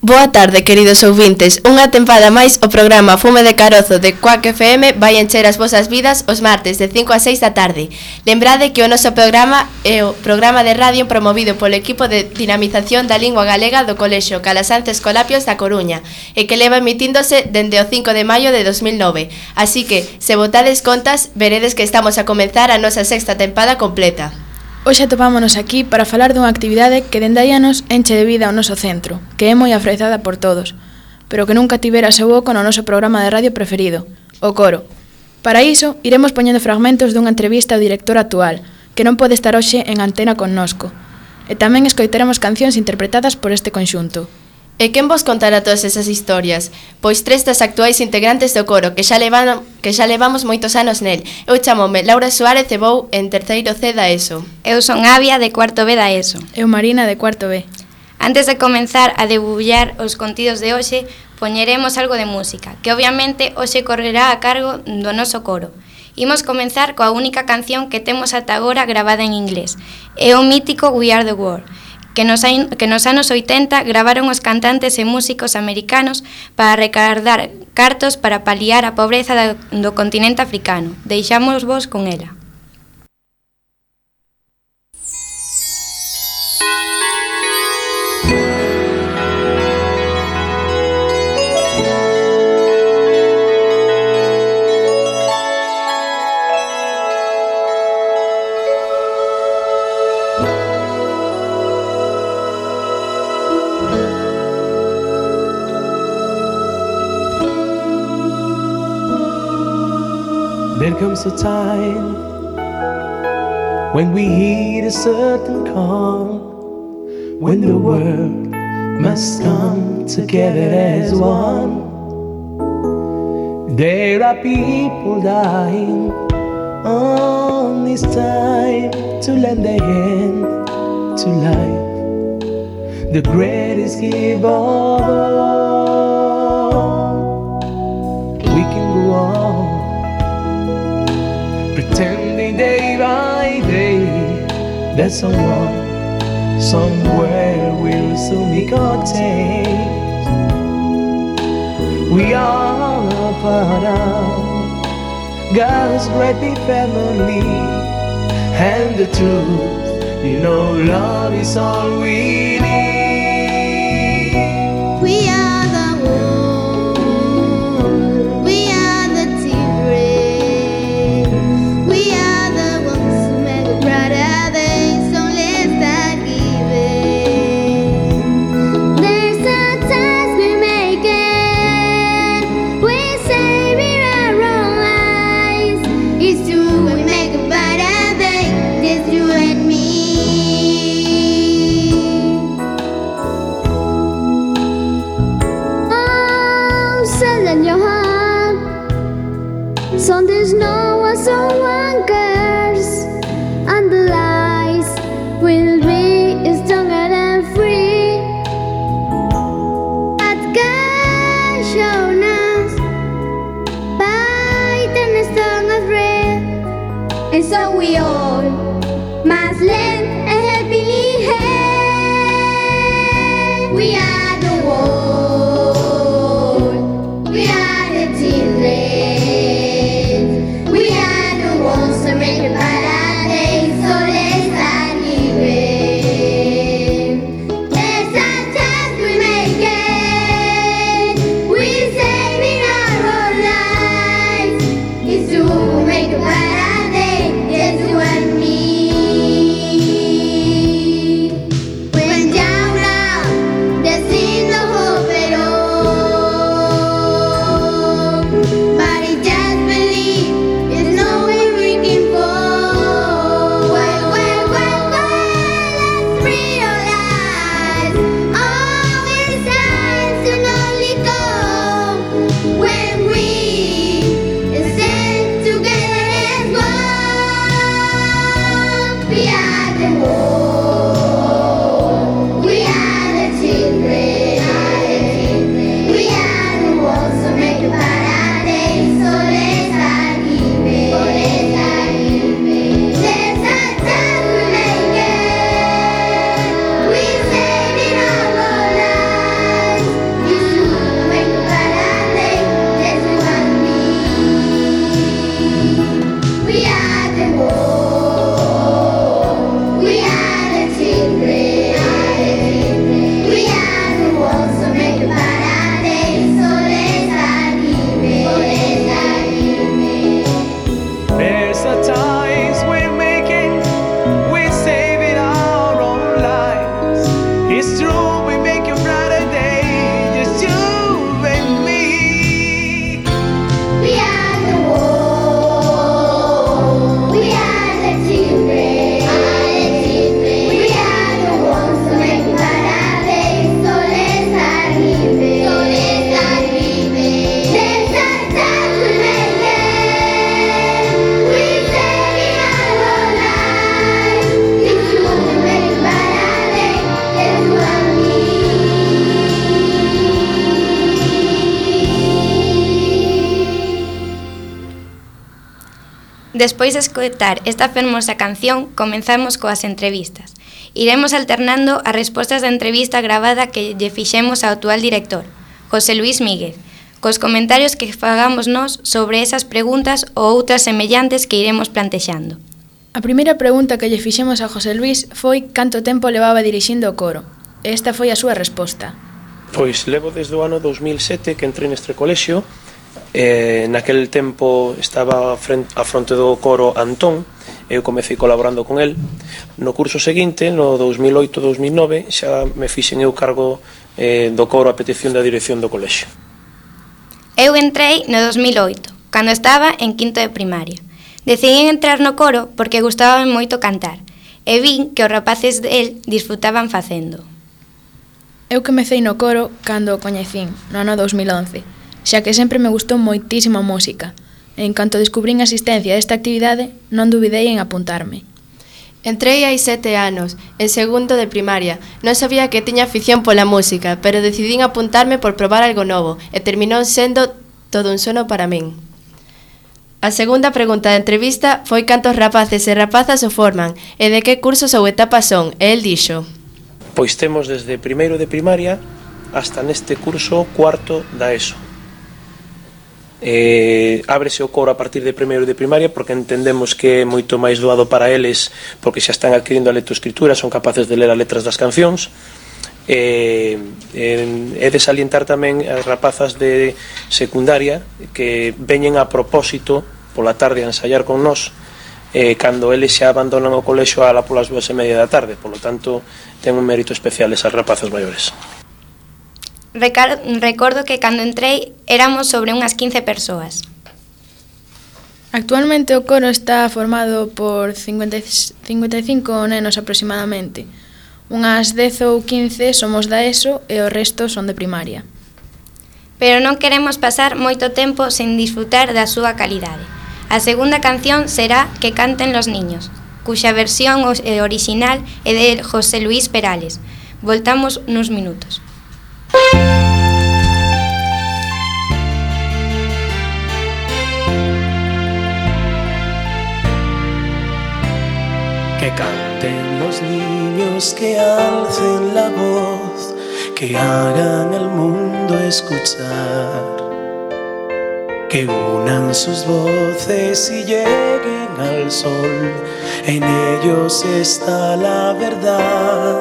Boa tarde, queridos ouvintes. Unha tempada máis o programa Fume de Carozo de Cuac FM vai encher as vosas vidas os martes de 5 a 6 da tarde. Lembrade que o noso programa é o programa de radio promovido polo equipo de dinamización da lingua galega do Colexio Calasanz Escolapios da Coruña e que leva emitíndose dende o 5 de maio de 2009. Así que, se botades contas, veredes que estamos a comenzar a nosa sexta tempada completa. Hoxe atopámonos aquí para falar dunha actividade que dende hai anos enche de vida o noso centro, que é moi aprezada por todos, pero que nunca tivera seu oco no noso programa de radio preferido, o coro. Para iso, iremos poñendo fragmentos dunha entrevista ao director actual, que non pode estar hoxe en antena connosco, e tamén escoitaremos cancións interpretadas por este conxunto. E quen vos contará todas esas historias? Pois tres das actuais integrantes do coro, que xa levamos moitos anos nel. Eu chamome Laura Suárez e vou en terceiro C da ESO. Eu son Avia, de cuarto B da ESO. Eu Marina, de cuarto B. Antes de comenzar a debullar os contidos de hoxe, poñeremos algo de música, que obviamente hoxe correrá a cargo do noso coro. Imos comenzar coa única canción que temos ata agora gravada en inglés. É o mítico We Are The World, que nos anos 80 gravaron os cantantes e músicos americanos para recaudar cartos para paliar a pobreza do continente africano. Deixámosvos con ela. There comes a time when we hit a certain calm, when the world must come together as one. There are people dying on this time to lend a hand to life, the greatest gift of all. We can go on pretending day by day that someone, somewhere will soon be contained. We are a part of God's great big family, and the truth, you know, love is all we need. We are the world, we are the children, we are the ones who make a brighter day, so let's start giving. There's a choice we're making, we're saving our own lives. It's true, we make a brighter day, just you and me. Oh, send in your heart, so there's no one someone cares, and the lies will be stronger than free. At God shown us by the strong as red, and so we all must lend a helping hand. We are the world, we are the children, we are the ones that make a brighter day, so let's start giving. There's a choice we're making, we're saving our own lives. It's true, we'll make a brighter day, just you and me. When down now, there seems no hope at all, but it just believe there's no way we can fall. Well, let's realize all we're signs to only go when we stand together as Despois de escoitar esta fermosa canción, comenzamos coas entrevistas. Iremos alternando as respostas da entrevista gravada que lle fixemos ao actual director, José Luis Míguez, cos comentarios que fagamos nós sobre esas preguntas ou outras semellantes que iremos plantexando. A primeira pregunta que lle fixemos a José Luis foi canto tempo levaba dirixindo o coro. Esta foi a súa resposta. Pois levo desde o ano 2007 que entrei neste colexio. Naquel tempo estaba a fronte do coro Antón, eu comecei colaborando con el. No curso seguinte, no 2008-2009, xa me fixen eu cargo do coro a petición da dirección do colexio. Eu entrei no 2008, cando estaba en quinto de primaria. Decidín entrar no coro porque gustaba moito cantar, e vin que os rapaces del disfrutaban facendo. Eu comecei no coro cando o coñecín, no ano 2011, xa que sempre me gustou moitísimo a música. En canto descubrín a asistencia a esta actividade, non dubidei en apuntarme. Entrei hai 7 anos, en segundo de primaria. Non sabía que tiña afición pola música, pero decidín apuntarme por probar algo novo, e terminou sendo todo un sono para min. A segunda pregunta da entrevista foi cantos rapaces e rapazas o forman, e de que cursos ou etapas son, e el dixo: Pois temos desde primeiro de primaria hasta neste curso cuarto da ESO. Ábrese o coro a partir de primeiro de primaria porque entendemos que é moito máis doado para eles, porque xa están adquirindo a lectoescritura, son capaces de ler as letras das cancións. É de salientar tamén as rapazas de secundaria que veñen a propósito pola tarde a ensaiar con nós, cando eles xa abandonan o colexio ala polas 2:30 da tarde. Polo tanto, ten un mérito especial esas rapazas maiores. Recordo que cando entrei éramos sobre unhas 15 persoas. Actualmente o coro está formado por 55 nenos aproximadamente. Unhas 10 ou 15 somos da ESO e o resto son de primaria. Pero non queremos pasar moito tempo sen disfrutar da súa calidade. A segunda canción será Que canten los niños, cuxa versión original é de José Luis Perales. Voltamos nuns minutos. Que canten los niños, que alcen la voz, que hagan al mundo escuchar, que unan sus voces y lleguen al sol, en ellos está la verdad.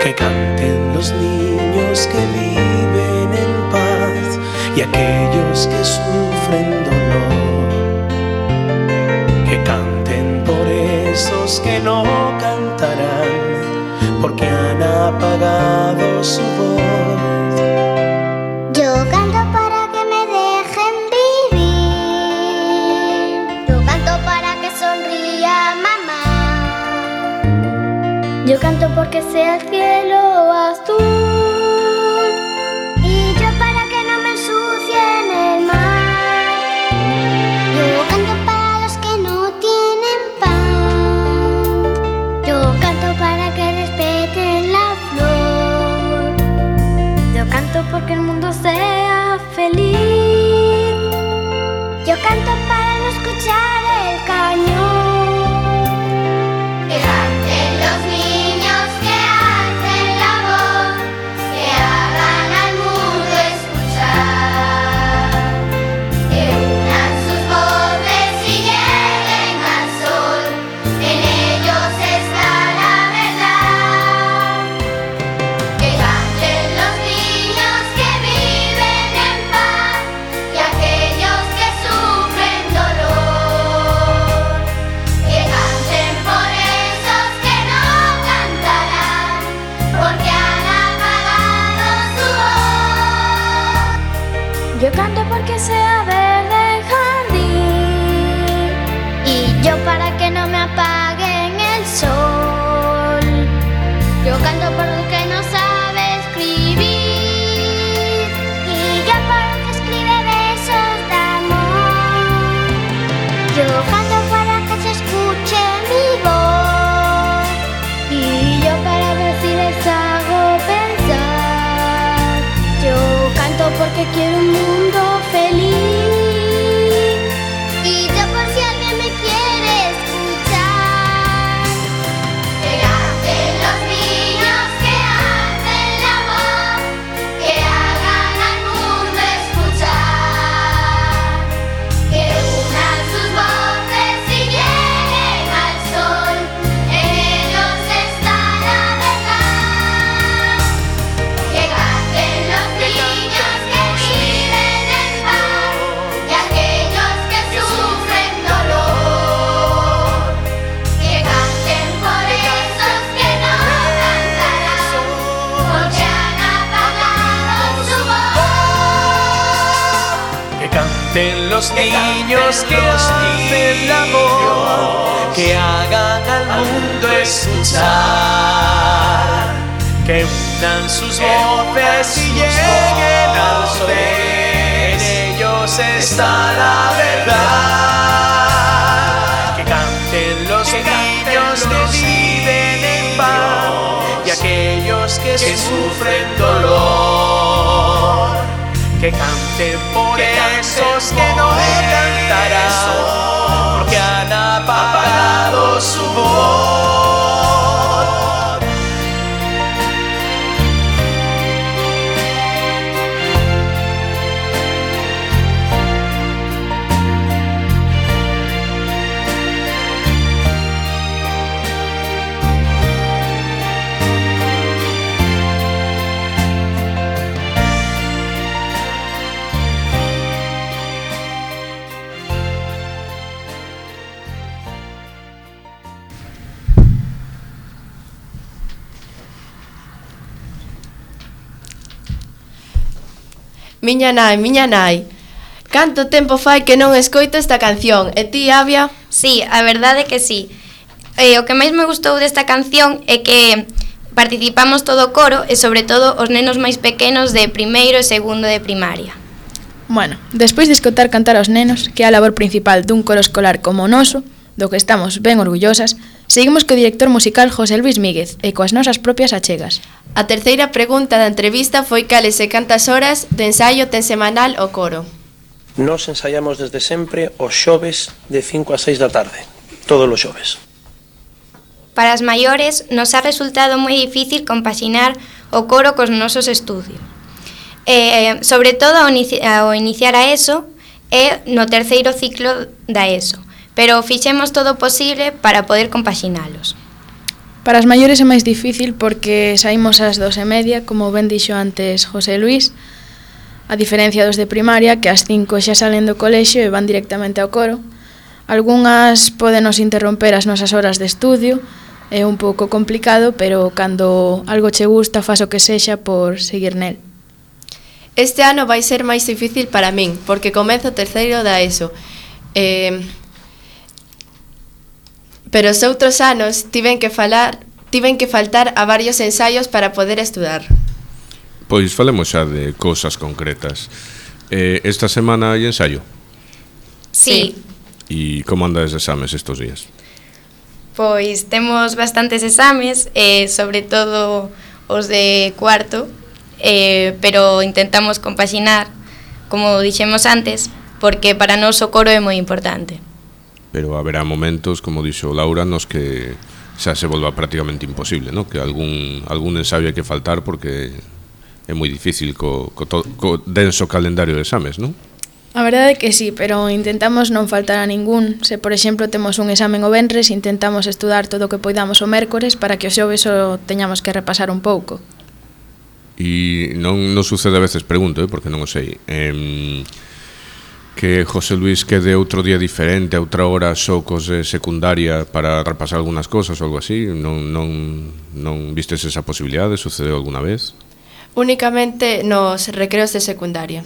Que canten los niños que viven en paz y aquellos que sufren dolor. Que canten por esos que no cantarán porque han apagado su voz. Yo canto para que me dejen vivir. Yo canto para que sonría mamá. Yo canto porque sea el cielo azul. Y yo para que no me ensucien el mar. Yo canto para los que no tienen pan. Yo canto para que respeten la flor. Yo canto porque el mundo sea feliz. Yo canto para no escuchar el cañón. Que canten los niños, que alcen la voz, que hagan al mundo escuchar, que unan sus voces y lleguen al sol, en ellos está la verdad. Que canten los niños que viven en paz y aquellos que sufren dolor. Que canten por esos que no cantarán porque han apagado su voz. Yo canto porque sea verde el jardín y yo para que no me apaguen el sol. Yo canto por el que no sabe escribir y yo por el que escribe besos de amor. Yo canto para que se escuche mi voz y yo para ver si les hago pensar. Yo canto porque quiero un mundo feliz y yo por niños que hacen el amor, que hagan al mundo escuchar, que unan sus voces y lleguen al sol. En ellos está la verdad. Que canten los niños que viven en paz y aquellos que sufren dolor. Que canten por esos que no cantarán, porque han apagado su voz. Miña nai, canto tempo fai que non escoito esta canción. E ti, Avia? Sí, a verdade é que sí. O que máis me gustou desta canción é que participamos todo o coro e sobre todo os nenos máis pequenos de primeiro e segundo de primaria. Bueno, despois de escoitar cantar aos nenos, que é a labor principal dun coro escolar como o noso, do que estamos ben orgullosas, seguimos co director musical José Luis Míguez e coas nosas propias achegas. A terceira pregunta da entrevista foi cales e cantas horas de ensaio ten semanal o coro. Nos ensaiamos desde sempre os xoves de 5 a 6 da tarde, todos os xoves. Para as maiores nos ha resultado moi difícil compaxinar o coro cos nosos estudios. Sobre todo ao iniciar a ESO e no terceiro ciclo da ESO, pero fixemos todo o posible para poder compaxinalos. Para as maiores é máis difícil porque saímos ás 2:30, como ben dixo antes José Luis, a diferencia dos de primaria, que ás 5 xa salen do colexio e van directamente ao coro. Algúnas podenos interromper as nosas horas de estudio, é un pouco complicado, pero cando algo che gusta, fas o que sexa por seguir nel. Este ano vai ser máis difícil para min, porque comezo o terceiro da ESO. Pero os outros anos tiven que faltar a varios ensaios para poder estudar. Pois falemos xa de cousas concretas. Esta semana hai ensaio? Sí. E como andas de exames estes días? Pois temos bastantes exames, sobre todo os de cuarto, pero intentamos compaxinar, como dixemos antes, porque para nós o coro é moi importante. Pero haberá momentos, como dixo Laura, nos que xa se volva prácticamente imposible, ¿no? Que algún ensaio hai que faltar porque é moi difícil co denso calendario de exames, non? A verdade é que sí, pero intentamos non faltar a ningún. Se, por exemplo, temos un examen o venres, intentamos estudar todo o que poidamos o mércores para que o xoves o teñamos que repasar un pouco. E non sucede a veces, pregunto, porque non o sei, que José Luis quede outro día diferente, a outra hora só cos de secundaria para repasar algunhas cosas ou algo así? Non vistes esa posibilidade? Sucedeu alguna vez? Únicamente nos recreos de secundaria.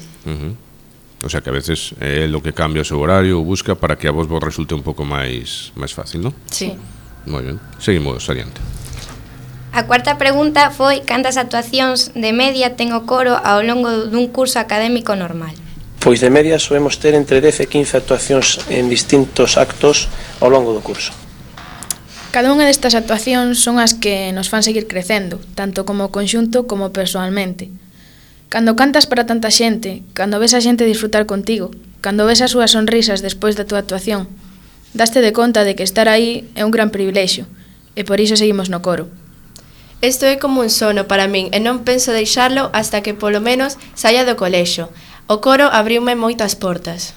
O sea que a veces é lo que cambia o seu horario ou busca para que a vos resulte un pouco máis fácil, non? Sí. Moi ben, seguimos adiante. A cuarta pregunta foi cantas actuacións de media ten o coro ao longo dun curso académico normal. Pois de media solemos ter entre 10 e 15 actuacións en distintos actos ao longo do curso. Cada unha destas actuacións son as que nos fan seguir crecendo, tanto como conxunto como persoalmente. Cando cantas para tanta xente, cando ves a xente disfrutar contigo, cando ves as súas sonrisas despois da túa actuación, daste de conta de que estar aí é un gran privilexio, e por iso seguimos no coro. Isto é como un sono para min e non penso deixarlo hasta que polo menos saia do colexio. O coro abriume moitas portas.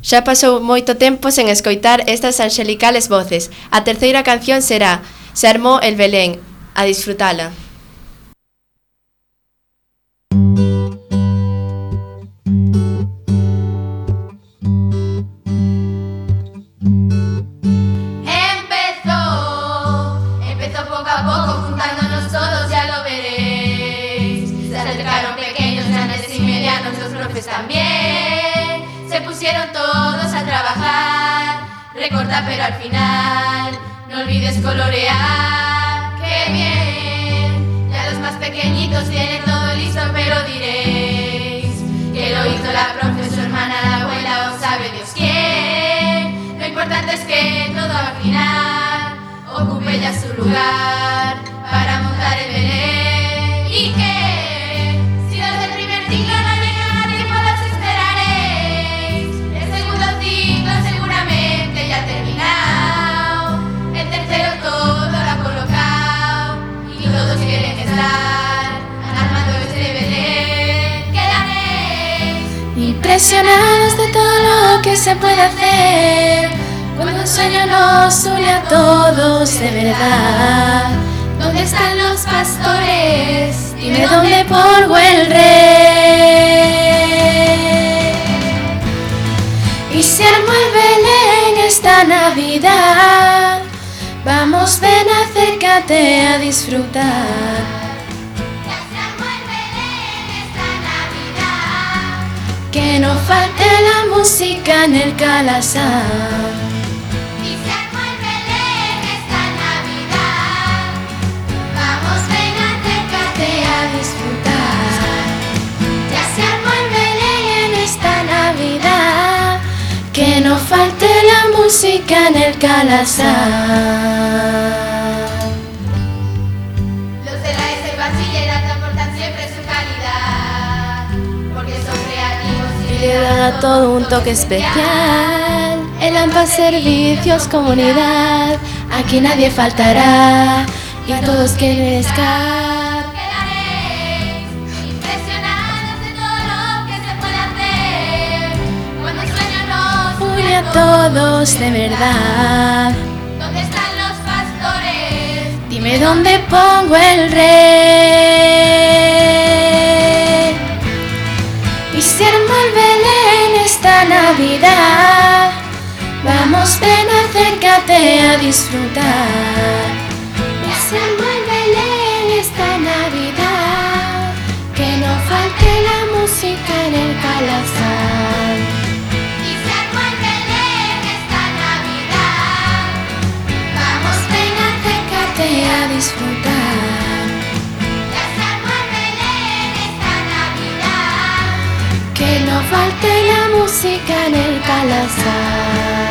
Xa pasou moito tempo sen escoitar estas anxelicales voces. A terceira canción será Se armou el Belén. A disfrutala. Empezó poco a poco, juntándonos todos, ya lo veréis. Se acercaron pequeños, grandes y medianos, los profes también. pusieron todos a trabajar. Recorta pero al final no olvides colorear. ¡Qué bien! Ya los más pequeñitos tienen todo listo, pero diréis que lo hizo la profe, su hermana, la abuela o sabe Dios quién. Lo importante es que todo al final ocupe ya su lugar para montar el Belén. Y que si los del primer ciclo no llegan a tiempo los esperaréis. El segundo ciclo seguramente ya ha terminado. El tercero todo lo ha colocado y todos quieren estar armando este Belén. Quedaréis impresionados de todo lo que se puede hacer cuando un sueño nos une a todos de verdad. ¿Dónde están los pastores? Dime dónde pongo el rey. Y se armó el Belén esta Navidad. Vamos, ven, acércate a disfrutar. Ya se armó el Belén esta Navidad. Que no falte la música en el Calasán. Que no falte la música en el Calasán. Los de la ESO y bachillerato aportan siempre su calidad, porque son creativos y le da todo un toque especial. El AMPA Servicios Comunidad, aquí nadie faltará y todos quieren estar. A todos de verdad. ¿Dónde están los pastores? Dime dónde pongo el rey. Y se armó el Belén esta Navidad. Vamos, ven, acércate a disfrutar. Ya se armó el Belén esta Navidad. Que no falte la música en el Calasán. A disfrutar. Ya se armó el Belén esta Navidad. Que no falte la música en el Calasán.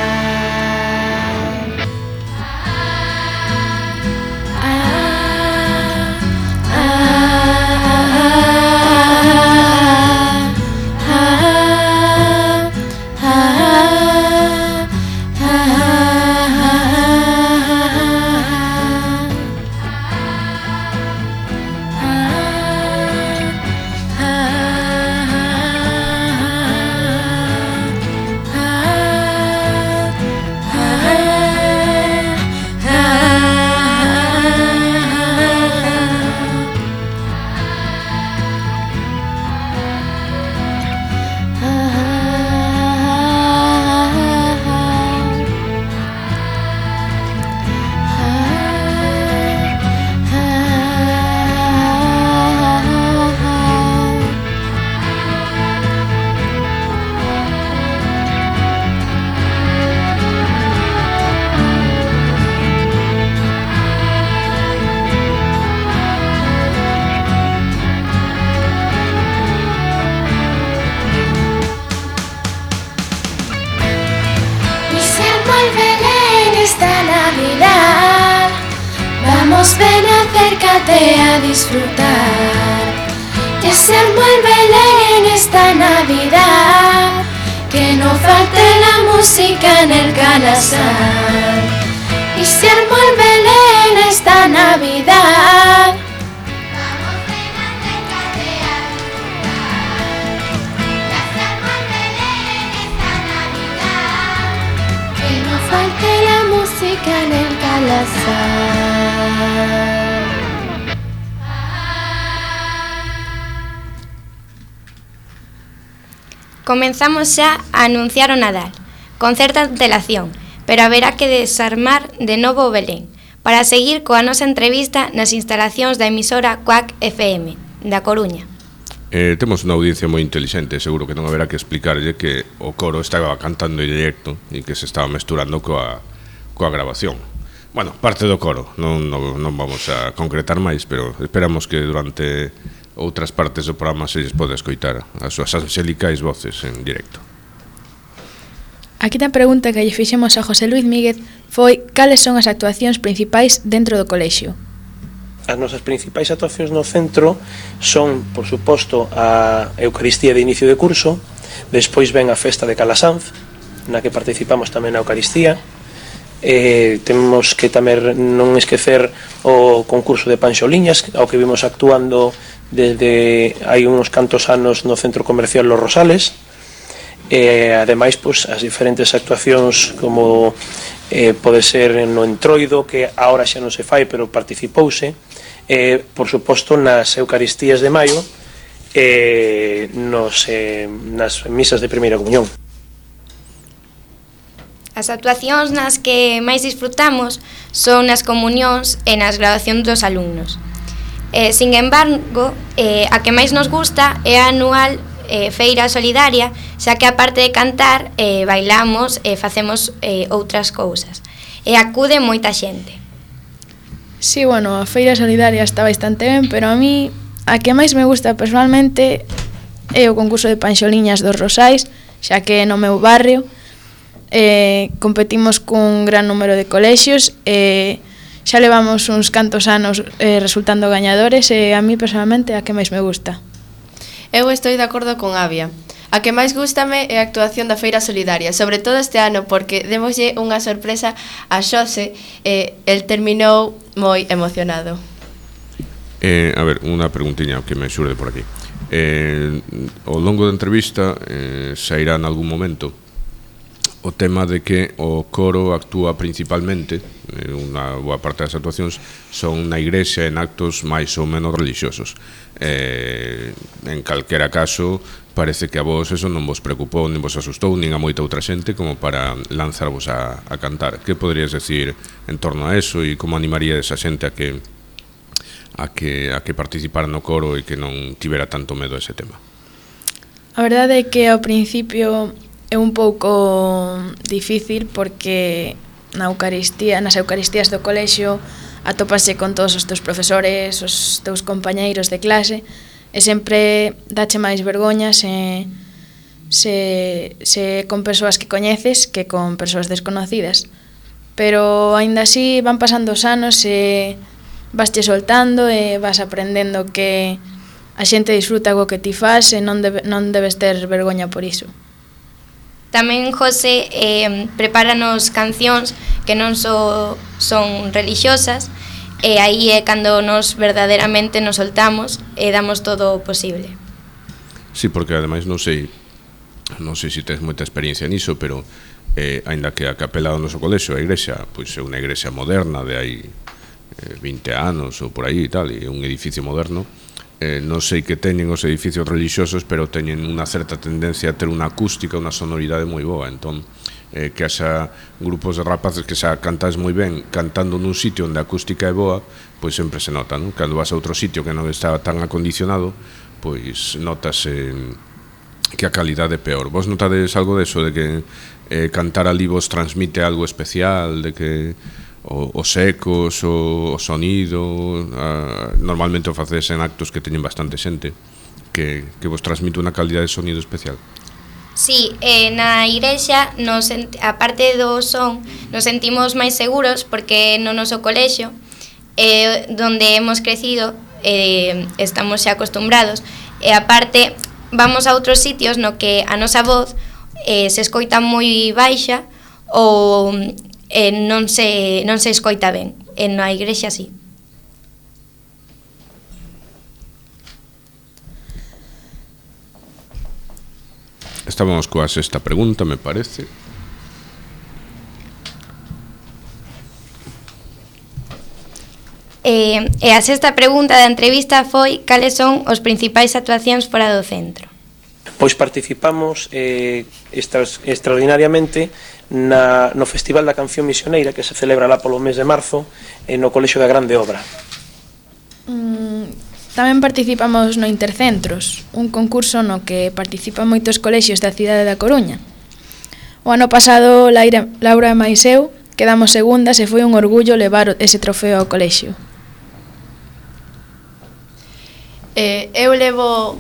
Ven, acércate a disfrutar. Ya se armó el Belén esta Navidad. Que no falte la música en el Calasán. Y se armó el Belén esta Navidad. Vamos, ven, acércate a disfrutar. Ya se armó el Belén esta Navidad. Que no falte la música en el Calasán. Comenzamos xa a anunciar o Nadal, con certa antelación, pero haberá que desarmar de novo o Belén, para seguir coa nosa entrevista nas instalacións da emisora Quack FM, da Coruña. Temos unha audiencia moi inteligente, seguro que non haberá que explicarlle que o coro estaba cantando en directo e que se estaba mesturando coa grabación. Bueno, parte do coro, non vamos a concretar máis, pero esperamos que durante outras partes do programa se lles pode escoitar as súas anxelicais voces en directo. A quinta pregunta que lle fixemos a José Luis Míguez foi cales son as actuacións principais dentro do colexio. As nosas principais actuacións no centro son, por suposto, a Eucaristía de inicio de curso, despois ven a festa de Calasanz, na que participamos tamén na Eucaristía. Temos que tamén non esquecer o concurso de Panxoliñas, ao que vimos actuando desde hai uns cantos anos no Centro Comercial Los Rosales. Ademais, pois, as diferentes actuacións como pode ser no Entroido, que agora xa non se fai, pero participouse, por suposto nas Eucaristías de Maio, nas misas de primeira comunión. As actuacións nas que máis disfrutamos son nas comunións e nas graduacións dos alumnos. Sin embargo, a que máis nos gusta é a anual feira solidaria, xa que aparte de cantar, bailamos e facemos outras cousas. E acude moita xente. Sí, bueno, a feira solidaria está bastante ben, pero a mí a que máis me gusta personalmente é o concurso de Panxoliñas dos Rosais, xa que no meu barrio competimos cun gran número de colexios e xa levamos uns cantos anos resultando gañadores e a mí personalmente a que máis me gusta. Eu estou de acordo con Avia. A que máis gústame é a actuación da Feira Solidaria, sobre todo este ano, porque démoslle unha sorpresa a Xose e el terminou moi emocionado. A ver, unha preguntiña que me xurde por aquí. Ao longo da entrevista sairá en algún momento o tema de que o coro actúa principalmente, unha boa parte das actuacións son na igrexa en actos máis ou menos religiosos. En calquera caso, parece que a vos eso non vos preocupou, nin vos asustou, nin a moita outra xente como para lanzarvos a cantar. Que poderías decir en torno a eso e como animaría esa xente a que participara no coro e que non tivera tanto medo a ese tema? A verdade é que ao principio é un pouco difícil porque nas Eucaristías do colexio atópase con todos os teus profesores, os teus compañeiros de clase e sempre dache máis vergoña se con persoas que coñeces que con persoas desconocidas. Pero aínda así van pasando os anos e vasche soltando e vas aprendendo que a xente disfruta co que ti fas e non debes ter vergoña por iso. Tamén José prepáranos cancións que non son religiosas e aí é cando nos verdadeiramente nos soltamos e damos todo o posible. Sí, porque ademais non sei se tes moita experiencia niso, pero aínda que a capela do noso colexio, a igrexa, pois é unha igrexa moderna de hai 20 anos ou por aí e tal, e un edificio moderno. Non sei que teñen os edificios religiosos, pero teñen unha certa tendencia a ter unha acústica, unha sonoridade moi boa. Entón, que haxa grupos de rapaces que xa cantáis moi ben cantando nun sitio onde a acústica é boa, pois sempre se nota, non? Cando vas a outro sitio que non está tan acondicionado, pois notas que a calidade é peor. Vos notades algo deso, de que cantar ali vos transmite algo especial, de que os ecos, o sonido, normalmente o facedes en actos que teñen bastante xente, que vos transmite unha calidade de sonido especial? Sí, na igrexa, aparte do son, nos sentimos máis seguros porque no noso colexio, donde hemos crecido, estamos xa acostumbrados, e aparte vamos a outros sitios no que a nosa voz se escoita moi baixa ou non se escoita ben. Na igrexa sí. Estábamos coa sexta pregunta, me parece. E a sexta pregunta da entrevista foi cales son os principais actuacións fora do centro. Pois participamos extraordinariamente no Festival da Canción Misioneira que se celebra lá polo mes de marzo no Colexio da Grande Obra. Tamén participamos no Intercentros, un concurso no que participan moitos colexios da cidade da Coruña. O ano pasado, Laura e mais eu quedamos segundas e foi un orgullo levar ese trofeo ao colexio. Eu levo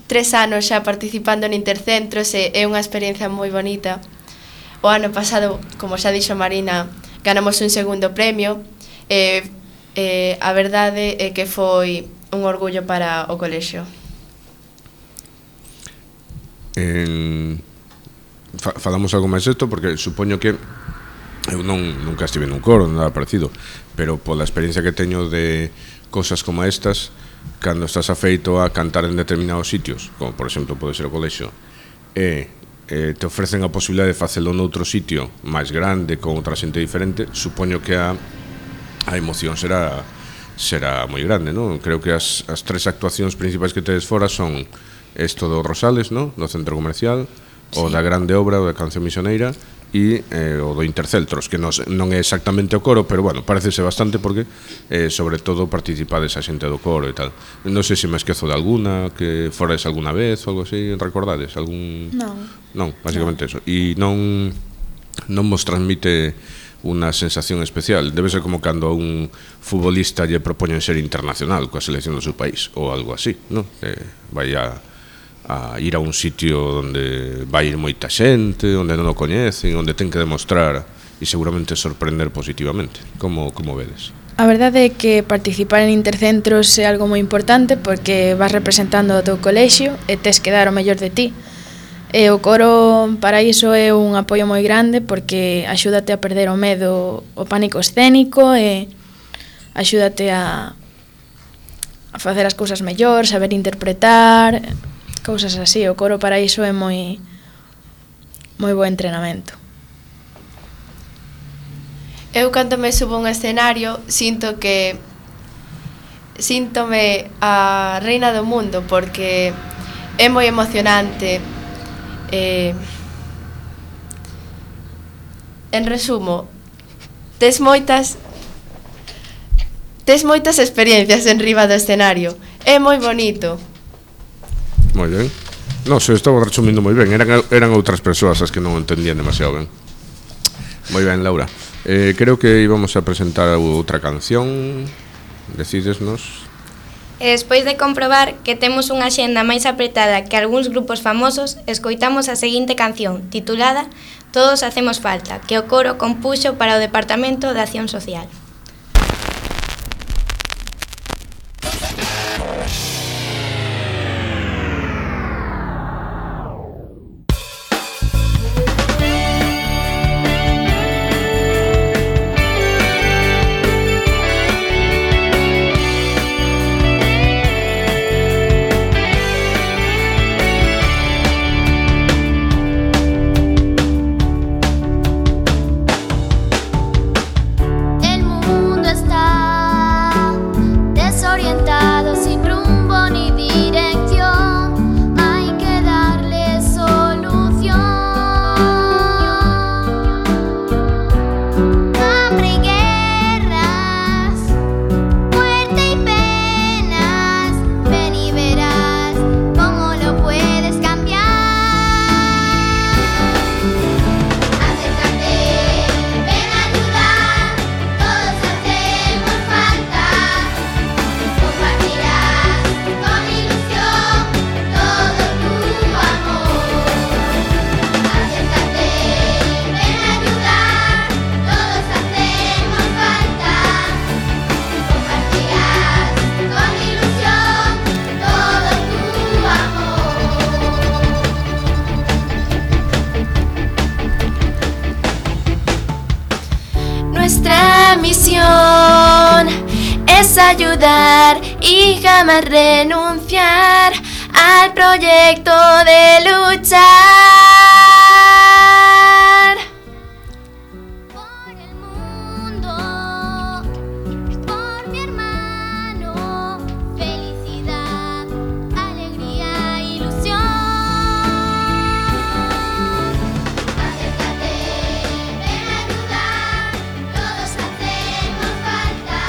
3 anos xa participando en Intercentros e é unha experiencia moi bonita. O ano pasado, como xa dixo Marina, ganamos un segundo premio e a verdade é que foi un orgullo para o colexio. Falamos algo máis isto porque supoño que eu nunca estive nun coro, nada parecido, pero pola experiencia que teño de cosas como estas, cando estás afeito a cantar en determinados sitios, como por exemplo pode ser o colexio, e te ofrecen a posibilidade de facelo noutro sitio máis grande, con outra xente diferente, supoño que a emoción será moi grande, non? Creo que as 3 actuacións principais que tedes fora son isto do Rosales, non? No centro comercial, o da Grande Obra, o da Canción Misioneira e o do Interceltros, que non é exactamente o coro, pero bueno, parecese bastante porque sobre todo participades a xente do coro e tal. Non sei se me esquezo de alguna, que forades alguna vez ou algo así, recordades? Non, basicamente eso. E non vos transmite unha sensación especial. Debe ser como cando a un futbolista lle propoñen ser internacional coa selección do seu país ou algo así, non? Vai a ir a un sitio onde vai ir moita xente, onde non o coñecen, onde ten que demostrar e seguramente sorprender positivamente. Como vedes? A verdade é que participar en Intercentros é algo moi importante porque vas representando o teu colexio e tes que dar o mellor de ti. E o coro para iso é un apoio moi grande porque axúdate a perder o medo, o pánico escénico e axúdate a facer as cousas mellor, saber interpretar, cousas así. O coro para iso é moi bo entrenamento. Eu cando me subo a un escenario síntome a reina do mundo porque é moi emocionante. En resumo, tes moitas experiencias en riba do escenario. É moi bonito. Moi ben. Non, se estaba resumindo moi ben. Eran outras persoas as que non entendían demasiado ben. Moi ben, Laura. Creo que íbamos a presentar outra canción. Decídesnos. E despois de comprobar que temos unha xenda máis apretada que algúns grupos famosos, escoitamos a seguinte canción, titulada Todos hacemos falta, que o coro compuxo para o Departamento de Acción Social. Nuestra misión es ayudar y jamás renunciar al proyecto de luchar por el mundo, por mi hermano, felicidad, alegría, ilusión. Acércate, ven a ayudar, todos hacemos falta,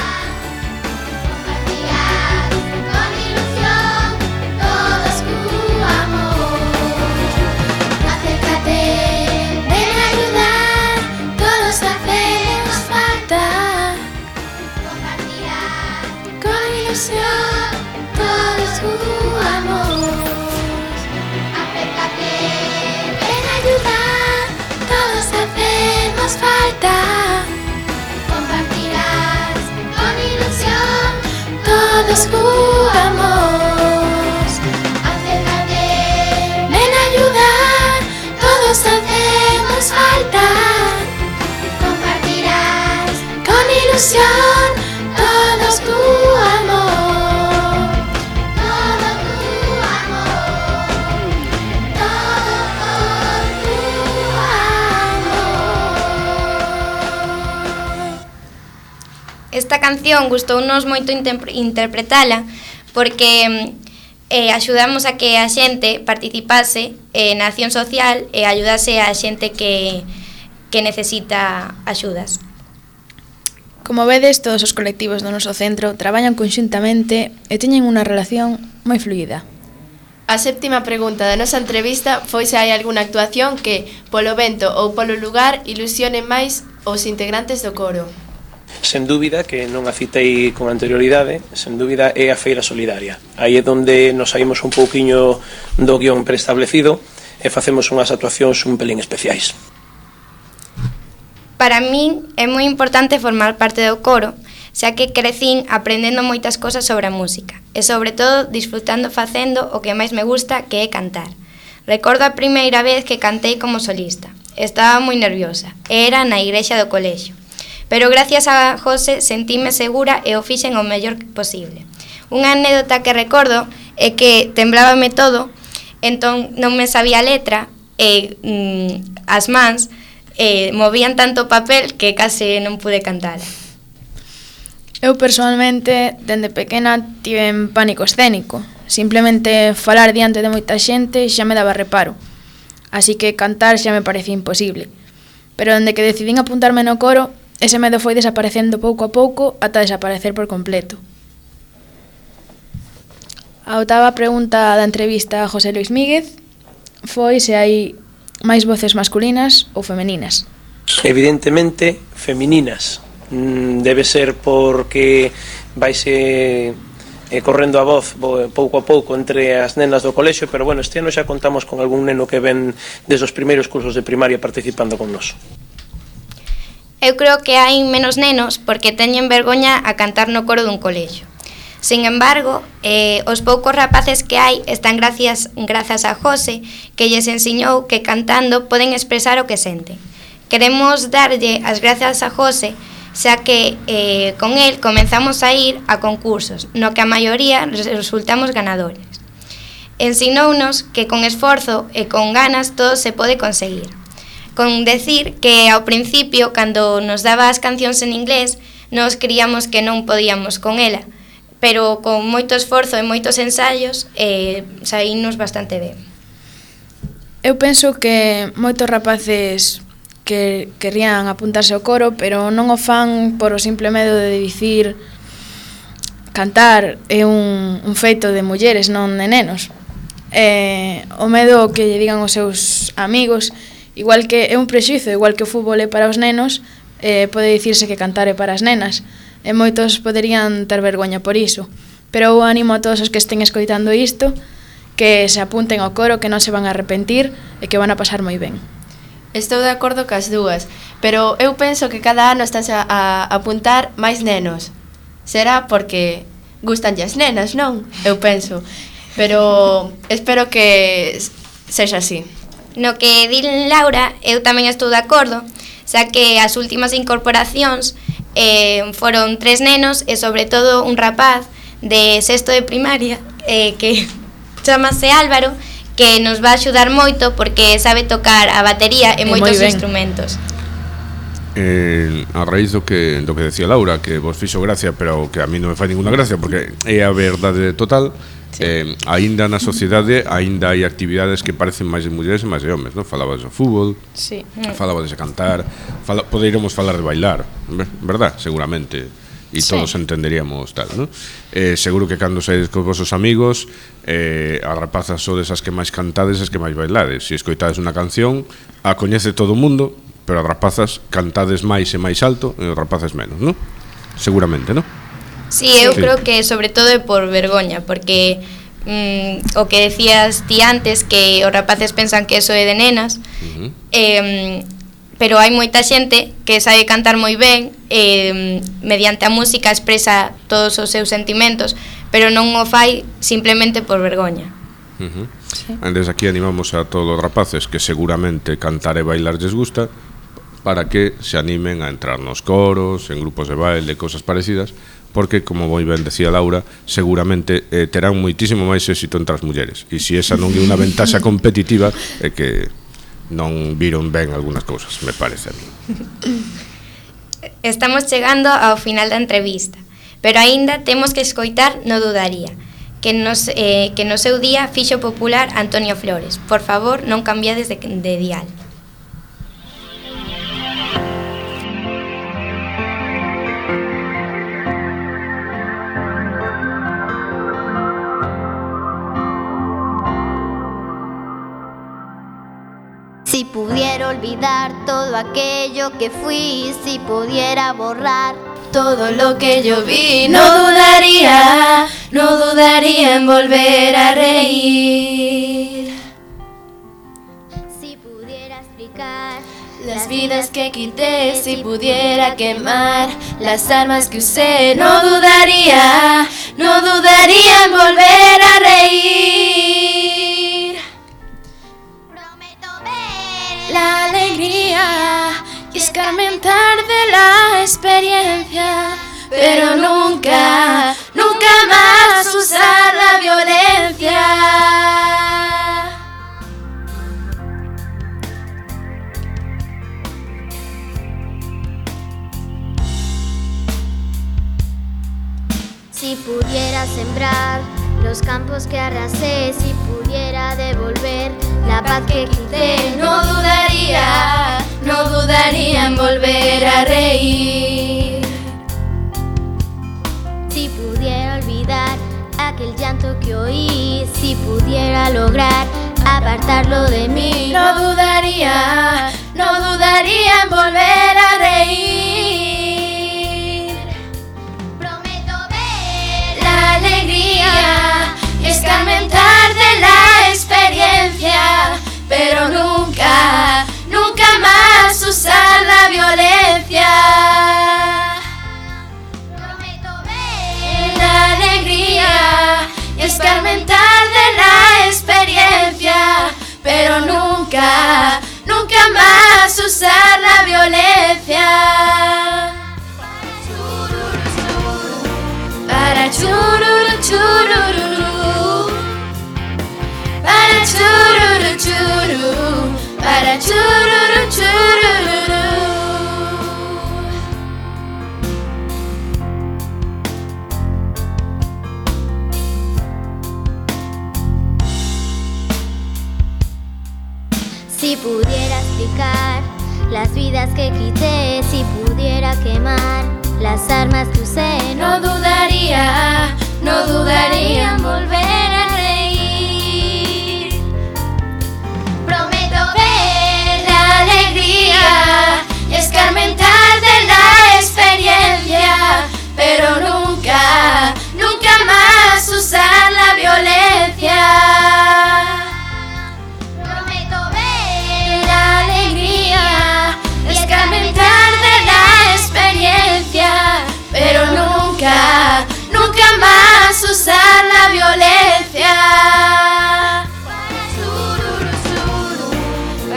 compartirás con ilusión. hacemos falta. Compartirás con ilusión. Todos jugamos. Acércate. Ven a ayudar. Todos hacemos falta. Compartirás Con ilusión. Todos tu amor. todo tu amor. Todo tu amor. Esta canción gustounos moito interpretala porque axudamos a que a xente participase na acción social e ayudase a xente que necesita axudas. Como vedes, todos os colectivos do noso centro traballan conxuntamente e teñen unha relación moi fluida. A séptima pregunta da nosa entrevista foi se hai algunha actuación que, polo vento ou polo lugar, ilusione máis os integrantes do coro. Sen dúbida, que non a citei con anterioridade, sen dúbida é a Feira Solidaria. Aí é onde nos saímos un pouquiño do guión preestablecido e facemos unhas actuacións un pelín especiais. Para min é moi importante formar parte do coro, xa que crecín aprendendo moitas cosas sobre a música e sobre todo disfrutando facendo o que máis me gusta, que é cantar. Recordo a primeira vez que cantei como solista. Estaba moi nerviosa, era na igrexa do colexio. Pero gracias a José sentíme segura e o fixen o mellor posible. Unha anécdota que recordo é que temblábame todo, entón non me sabía a letra e as mans movían tanto papel que case non pude cantar. Eu personalmente, dende pequena, tiven pánico escénico. Simplemente falar diante de moita xente xa me daba reparo. Así que cantar xa me parecía imposible. Pero dende que decidín apuntarme no coro, ese medo foi desaparecendo pouco a pouco ata desaparecer por completo. A oitava pregunta da entrevista a José Luis Míguez foi se hai máis voces masculinas ou femeninas. Evidentemente, femininas. Debe ser porque vaise correndo a voz pouco a pouco entre as nenas do colexio, pero bueno, este ano xa contamos con algún neno que ven desde os primeiros cursos de primaria participando con nós. Eu creo que hai menos nenos porque teñen vergoña a cantar no coro dun colexio. Sin embargo, os poucos rapaces que hai están grazas a José, que lles ensiñou que cantando poden expresar o que senten. Queremos darlle as grazas a José, xa que con el comenzamos a ir a concursos, no que a maioría resultamos ganadores. Ensinounos que con esforzo e con ganas todo se pode conseguir. Con decir que ao principio, cando nos daba as cancións en inglés, nos creíamos que non podíamos con ela, pero con moito esforzo e moitos ensaios saínos bastante ben. Eu penso que moitos rapaces que querían apuntarse ao coro, pero non o fan por o simple medo de dicir cantar é un feito de mulleres, non de nenos. O medo que lle digan os seus amigos, igual que é un prexuízo, igual que o fútbol é para os nenos, pode dicirse que cantar é para as nenas. E moitos poderían ter vergoña por iso. Pero eu animo a todos os que estén escoitando isto que se apunten ao coro, que non se van a arrepentir e que van a pasar moi ben. Estou de acordo cas dúas, pero eu penso que cada ano estás a apuntar máis nenos. Será porque gustanlle as nenas, non? Eu penso. Pero espero que sexa así. No que di Laura, eu tamén estou de acordo, xa que as últimas incorporacións foron 3 nenos e sobre todo un rapaz de sexto de primaria que chamase Álvaro, que nos va a axudar moito porque sabe tocar a batería e moitos instrumentos. A raíz do que decía Laura, que vos fixo gracia, pero que a mí non me fai ninguna gracia porque é a verdade total. Sí. Aínda na sociedade aínda hai actividades que parecen máis de mulleres e máis de homes, non? Falabas do fútbol, sí. Falabas de cantar, poderíamos falar de bailar, verdad? Seguramente, e sí. Todos entenderíamos tal, non? Seguro que cando saídes cos vosos amigos, as rapazas sodes as que máis cantades, as que máis bailades. Se escoitades unha canción, a coñece todo o mundo, pero as rapazas cantades máis e máis alto e os rapaces menos, non? Seguramente, non? Sí, eu creo que sobre todo é por vergoña, porque o que decías ti antes, que os rapaces pensan que eso é de nenas, pero hai moita xente que sabe cantar moi ben, mediante a música expresa todos os seus sentimentos, pero non o fai simplemente por vergoña. Desde aquí animamos a todos os rapaces que seguramente cantar e bailar lles gusta, para que se animen a entrar nos coros, en grupos de baile, cosas parecidas, porque, como moi ben decía Laura, seguramente terán moitísimo máis éxito entre as mulleres. E se esa non é unha ventaxa competitiva, é que non viron ben algunhas cousas, me parece a mí. Estamos chegando ao final da entrevista, pero aínda temos que escoitar No Dudaría, que no seu día fixo popular Antonio Flores. Por favor, non cambiades de dial. Si pudiera olvidar todo aquello que fui, si pudiera borrar todo lo que yo vi, no dudaría en volver a reír. Si pudiera explicar las vidas que quité, si pudiera quemar las armas que usé, no dudaría en volver a reír. Prometo ver La alegría y escarmentar de la experiencia, pero nunca más usar la violencia. Si pudiera sembrar los campos que arrasé, si pudiera devolver la paz que quité, No dudaría en volver a reír. si pudiera olvidar aquel llanto que oí, si pudiera lograr apartarlo de mí, No dudaría en volver a reír. prometo ver La alegría y escarmentar de la experiencia, pero nunca más usar la violencia. prometo ver La alegría y escarmentar de la experiencia, pero nunca más usar la violencia. Para chururu chururu, para chururu chururu, para chururu chururu. si pudiera explicar las vidas que quité, si pudiera quemar las armas que usé, No dudaría en volver a reír. prometo ver La alegría y escarmentar de la experiencia, pero nunca más usar la violencia. prometo ver La alegría y escarmentar de la experiencia, pero nunca más usar la violencia.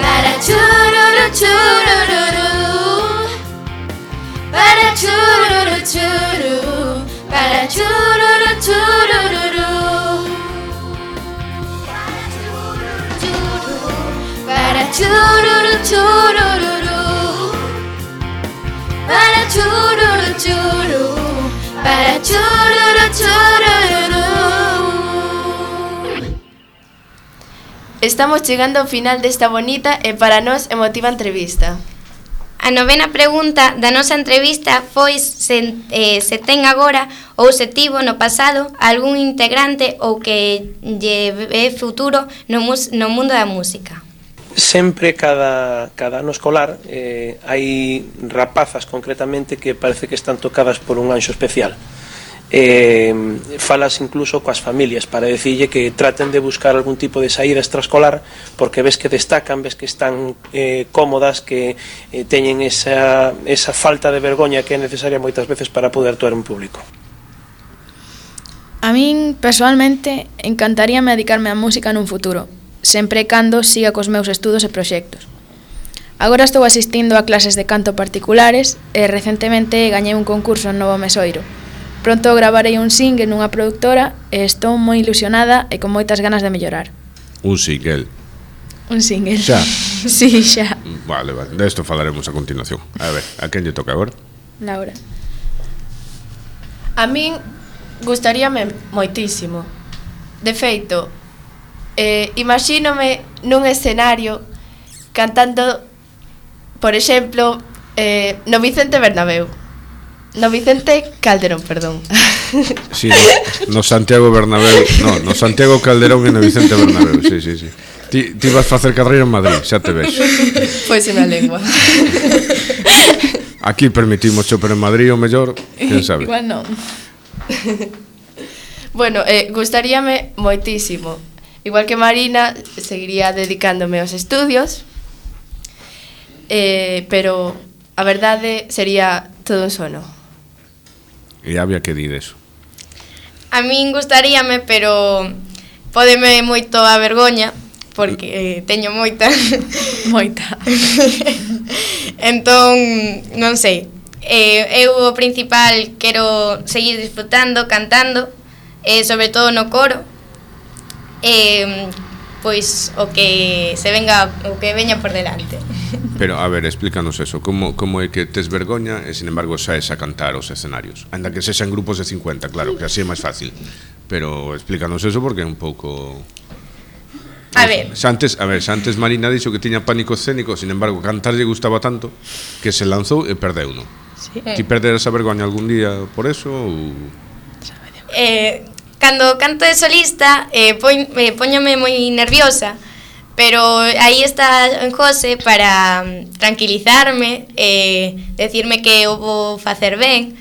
Para chururu chururu, para chururu churu, para chururu chururu, para chururu chururu, para chururu churu, para chururu chururu. Estamos chegando ao final desta bonita e para nós emotiva entrevista. A novena pregunta da nosa entrevista foi se ten agora ou se tivo no pasado algún integrante ou que lle ve futuro no mundo da música. Sempre cada ano escolar hai rapazas concretamente que parece que están tocadas por un anxo especial. falas incluso coas familias para decirlle que traten de buscar algún tipo de saída extraescolar, porque ves que destacan, ves que están cómodas, que teñen esa falta de vergoña que é necesaria moitas veces para poder actuar en público. A min, persoalmente, encantaríame dedicarme á música nun futuro, sempre e cando siga cos meus estudos e proxectos. Agora estou asistindo a clases de canto particulares e recentemente gañei un concurso en Novo Mesoiro. Pronto gravarei un single nunha productora e estou moi ilusionada e con moitas ganas de mellorar. Un single. Un single. Xa? Sí, xa. Vale, de esto falaremos a continuación. A ver, a quen lle toca agora? Laura. A min gustaríame moitísimo. De feito, imagínome nun escenario cantando, por exemplo, no Vicente Bernabéu. No Vicente Calderón, perdón. Sí, no Santiago Bernabéu, no Santiago Calderón e no Vicente Bernabéu, sí. Ti vas facer carreira en Madrid, xa te vexo. Pois é na lengua. Aquí permitimos pero en Madrid o mellor, quen sabe. Igual non. Bueno, gustaríame moitísimo. Igual que Marina, seguiría dedicándome aos estudios, pero a verdade sería todo un sono. E había que dir eso. A min gustaríame, pero pódeme moito a vergoña, porque teño moita. Moita. Entón, non sei. Eu o principal quero seguir disfrutando, cantando, sobre todo no coro. Pois o que veña por delante. Pero, a ver, explícanos eso. Como é que tes vergoña e, sin embargo, saes a cantar os escenarios? Ainda que sexan grupos de 50, claro, que así é máis fácil. Pero explícanos eso porque é un pouco... A ver. Xa antes Marina dixo que tiña pánico escénico, sin embargo, cantar lle gustaba tanto que se lanzou e perdeuno. Sí. Ti perderas a vergoña algún día por eso ou... Cando canto de solista, póñome moi nerviosa, pero aí está José para tranquilizarme, decirme que o vou facer ben.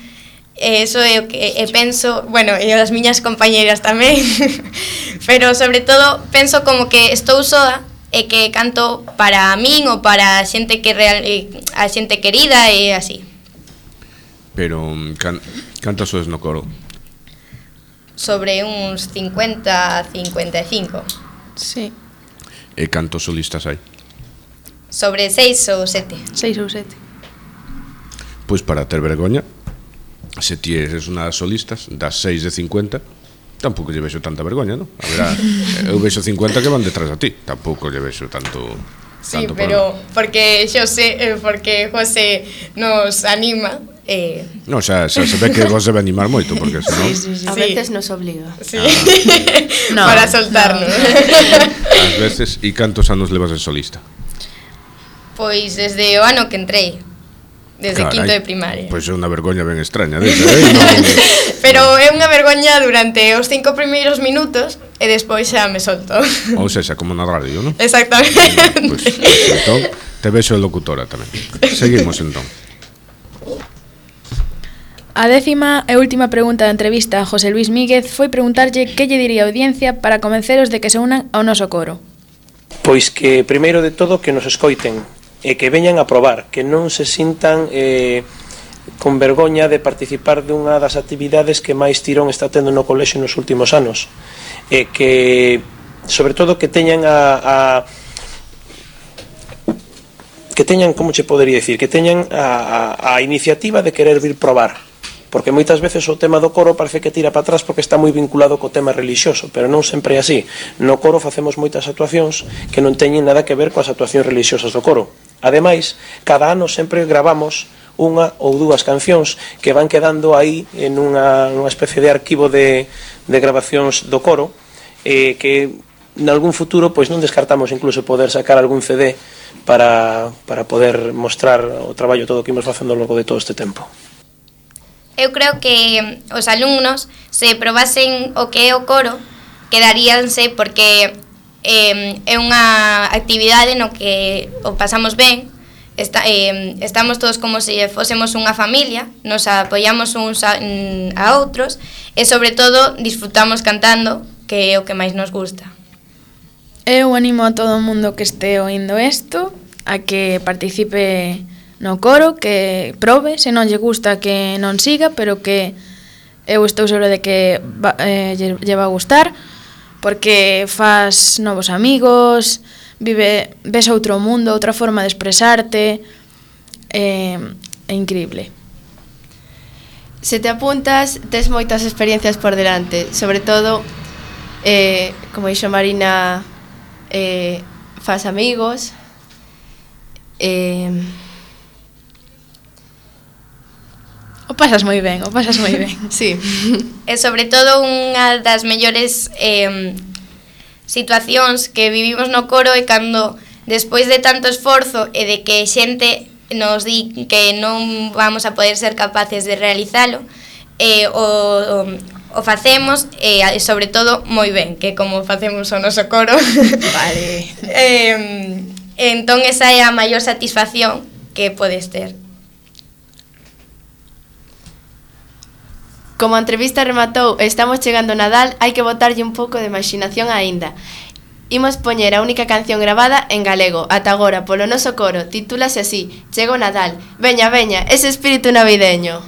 Eso é o que penso, bueno, e as miñas compañeras tamén. Pero sobre todo penso como que estou soa e que canto para min ou para a xente a xente querida e así. Pero cantas soes no coro? Sobre uns 50, 55. Sí. E cantos solistas hai? Sobre 6 ou 7. 6 ou 7. Pois para ter vergoña, se ti eres unha das solistas, das 6 de 50, tampouco lle vexo tanta vergoña, non? A verá, eu vexo 50 que van detrás a ti, tampouco lle vexo tanto... Sí, pero porque porque José nos anima. No, xa se ve que vos debe animar moito, porque senón... Sí. A veces nos obliga. Sí. No, para soltarnos. Ás veces, e cantos anos levas de solista? Pois desde o ano que entrei. Desde quinto de primaria. Pois é unha vergoña ben extraña desa, Pero é unha vergoña durante os 5 primeiros minutos e despois xa me solto. Ou sexa, como na radio, non? Exactamente. Pois entón, te vexo locutora tamén. Seguimos entón. A 10ª e última pregunta da entrevista a José Luis Míguez foi preguntarlle que lle diría a audiencia para convenceros de que se unan ao noso coro. Pois que, primeiro de todo, que nos escoiten e que veñan a probar, que non se sintan con vergoña de participar dunha das actividades que máis tirón está tendo no colexio nos últimos anos, e que, sobre todo, que teñan que teñan, como che podería dicir, que teñan a iniciativa de querer vir probar, porque moitas veces o tema do coro parece que tira para atrás porque está moi vinculado co tema relixioso, pero non sempre é así. No coro facemos moitas actuacións que non teñen nada que ver coas actuacións relixiosas do coro. Ademais, cada ano sempre gravamos unha ou dúas cancións que van quedando aí en unha especie de arquivo de grabacións do coro, que nalgún futuro pois non descartamos incluso poder sacar algún CD para poder mostrar o traballo todo que imos facendo ao longo de todo este tempo. Eu creo que os alumnos, se probasen o que é o coro, quedaríanse porque é unha actividade no que o pasamos ben, estamos todos como se fósemos unha familia, nos apoiamos uns a outros e sobre todo disfrutamos cantando, que é o que máis nos gusta. Eu animo a todo o mundo que este oindo isto a que participe no coro, que probe, se non lle gusta que non siga, pero que eu estou segura de que lle va a gustar, porque fas novos amigos, ves outro mundo, outra forma de expresarte, é increíble. Se te apuntas, tes moitas experiencias por delante, sobre todo, como dixo Marina, fas amigos, O pasas moi ben. sí. E sobre todo unha das mellores situacións que vivimos no coro é cando despois de tanto esforzo e de que xente nos di que non vamos a poder ser capaces de realizalo, o facemos e sobre todo moi ben, que como facemos o noso coro. Vale. Entón esa é a maior satisfacción que podes ter. Como a entrevista rematou e estamos chegando ao Nadal, hai que botarlle un pouco de imaginación aínda. Imos poñer a única canción gravada en galego, ata agora, polo noso coro, titúlase así, Chega o Nadal. Veña, veña, ese espírito navideño.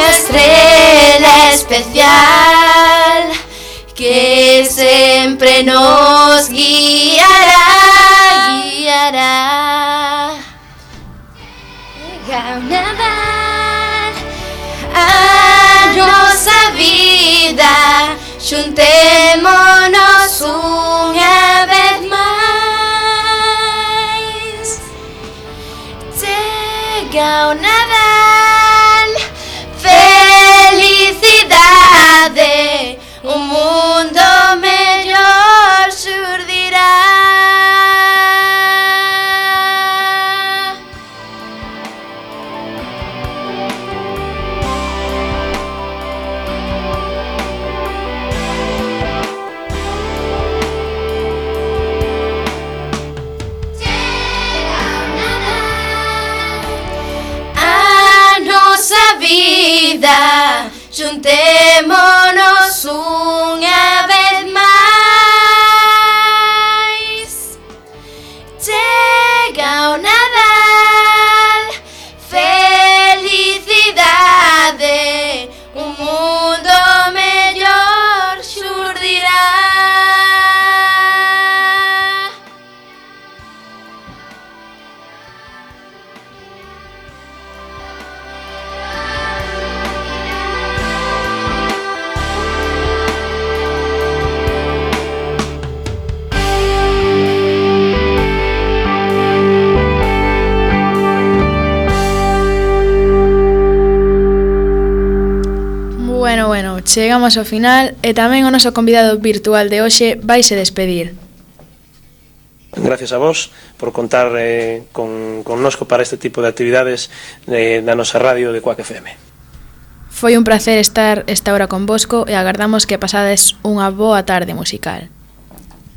Estrela especial que sempre nos guiará, guiará. Chega o Nadal, a nosa vida, xuntémonos unha vez máis. Chega o Nadal, felicidade, un mundo mellor xurdirá. Vida, xuntémonos unha vez chegamos ao final e tamén o noso convidado virtual de hoxe vaise despedir. Gracias a vos por contar connosco para este tipo de actividades da nosa radio de Quack FM. Foi un placer estar esta hora convosco e agardamos que pasades unha boa tarde musical.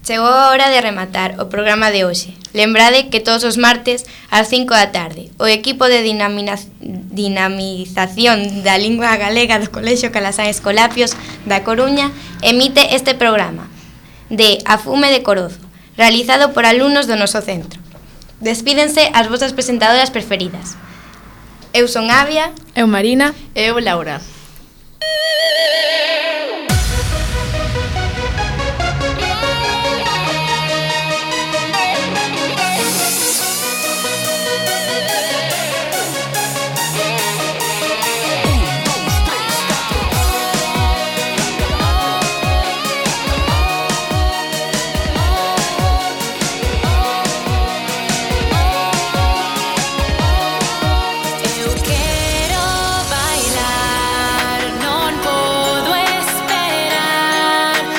Chegou a hora de rematar o programa de hoxe. Lembrade que todos os martes ás 5 da tarde o equipo de dinamización da lingua galega do Colexio Calasán Escolapios da Coruña emite este programa de A Fume de Corozo, realizado por alumnos do noso centro. Despídense as vosas presentadoras preferidas. Eu son Avia. Eu Marina. Eu Laura.